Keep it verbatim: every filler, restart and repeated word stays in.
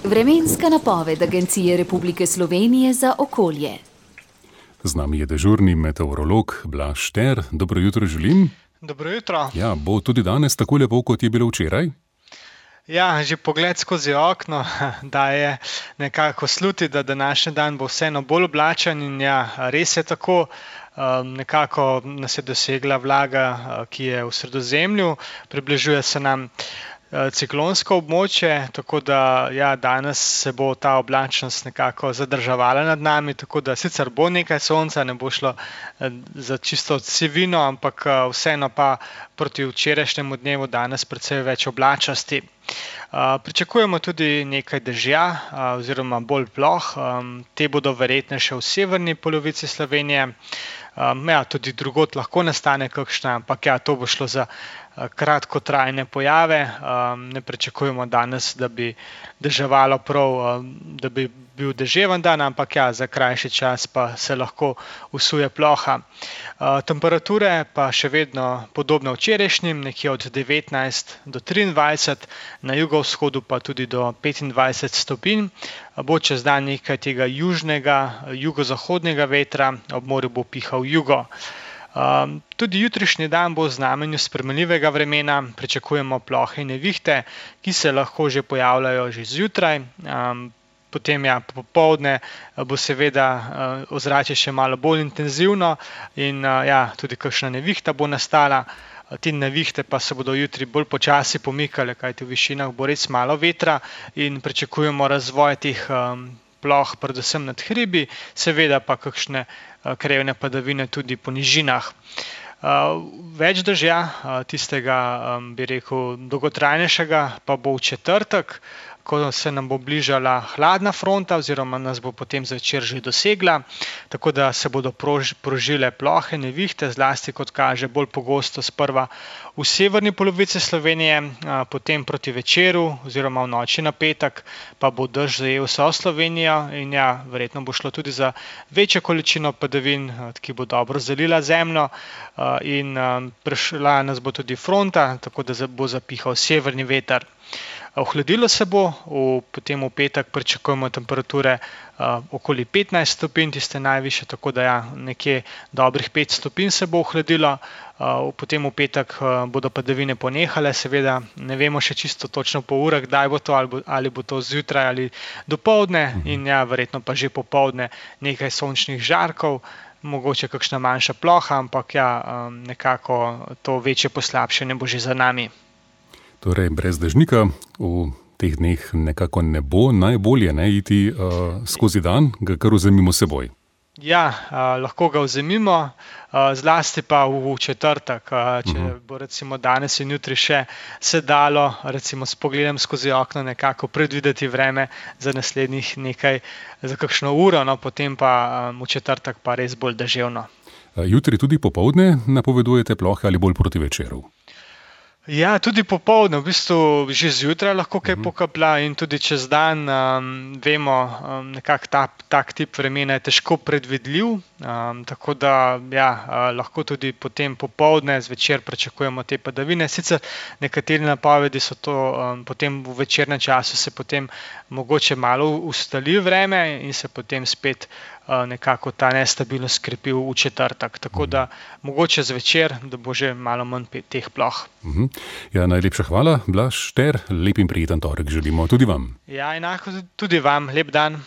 Vremenska napoved Agencije Republike Slovenije za okolje. Z nami je dežurni meteorolog Blaž Šter. Dobro jutro želim. Dobro jutro. Ja, bo tudi danes tako lepo, kot je bilo včeraj? Ja, že pogled skozi okno daje nekako sluti, da današnji dan bo vseeno bolj oblačen in ja, res je tako. Um, nekako nas je dosegla vlaga, ki je v Sredozemlju, približuje se nam ciklonsko območje, tako da ja, danes se bo ta oblačnost nekako zadrževala nad nami, tako da sicer bo nekaj sonca, ne bo šlo za čisto sivino, ampak vseeno pa proti včerajšnjemu dnevu danes precej več oblačnosti. Uh, pričakujemo tudi nekaj dežja uh, oziroma bolj ploh, um, te bodo verjetne še v severni polovici Slovenije. Um, ja, tudi drugod lahko nastane kakšna, ampak ja, to bo šlo za uh, kratkotrajne pojave. Um, ne pričakujemo danes, da bi deževalo prav, um, da bi bil deževen dan, ampak ja, za krajši čas pa se lahko usuje ploha. Uh, temperature pa še vedno podobne včerajšnjim, nekje od devetnajst do triindvajset, na jugovzhodu pa tudi do petindvajset stopinj. Bo čez dan nekaj tega južnega, jugozahodnega vetra, ob morju bo pihal jugo. Um, tudi jutrišnji dan bo v znamenju spremenljivega vremena, pričakujemo plohe in nevihte, ki se lahko že pojavljajo že zjutraj. Um, Potem ja, popoldne bo seveda uh, ozračje še malo bolj intenzivno in uh, ja, tudi kakšna nevihta bo nastala. Te nevihte pa se bodo jutri bolj počasi pomikale, kajti v višinah bo res malo vetra in pričakujemo razvoj teh um, ploh, predvsem nad hribi, seveda pa kakšne uh, krajevne padavine tudi po nižinah. Uh, več dežja, uh, tistega, um, bi rekel, dolgotrajnejšega, pa bo v četrtek, ko se nam bo bližala hladna fronta oziroma nas bo potem zvečer že dosegla, tako da se bodo prož, prožile plohe, nevihte, zlasti kot kaže bolj pogosto sprva v severni polovici Slovenije, a, potem proti večeru oziroma v noči na petek pa bo dež zajel vso Slovenijo in ja, verjetno bo šlo tudi za večjo količino padavin, ki bo dobro zalila zemljo a, in a, prišla nas bo tudi fronta, tako da bo zapihal severni veter. Ohladilo se bo, v, potem v petek pričakujemo temperature uh, okoli petnajst stopinj, tiste najvišje, tako da ja, nekje dobrih pet stopinj se bo ohladilo. Uh, potem v petek uh, bodo padavine ponehale, seveda ne vemo še čisto točno po urah, kdaj bo to, ali bo, ali bo to zjutraj ali dopoldne in ja, verjetno pa že popoldne nekaj sončnih žarkov, mogoče kakšna manjša ploha, ampak ja, um, nekako to večje poslabšanje bo že za nami. Torej, brez dežnika v teh dneh nekako ne bo, najbolje ne iti uh, skozi dan, ga kar vzemimo seboj. Ja, uh, lahko ga vzemimo, uh, zlasti pa v četrtek, uh, če uh-huh. bo recimo danes in jutri še se dalo, recimo s pogledom skozi okno nekako predvideti vreme za naslednjih nekaj, za kakšno uro, no potem pa um, v četrtek pa res bolj deževno. Uh, jutri tudi popoldne napovedujete plohe ali bolj proti večeru? Ja, tudi popoldne, v bistvu že zjutraj lahko kaj pokaplja in tudi čez dan, um, vemo, um, nekako ta, tak tip vremena je težko predvidljiv, um, tako da ja, uh, lahko tudi potem popoldne, zvečer pričakujemo te padavine. Sicer nekateri napovedi so to, um, potem v večernem času se potem mogoče malo ustali vreme in se potem spet uh, nekako ta nestabilnost krepi v četrtek, tako da mogoče zvečer, da bo že malo manj teh ploh. Mhm. Ja, najlepša hvala, Blaž Šter, lep in prijeten torek želimo tudi vam. Ja, enako tudi vam, lep dan.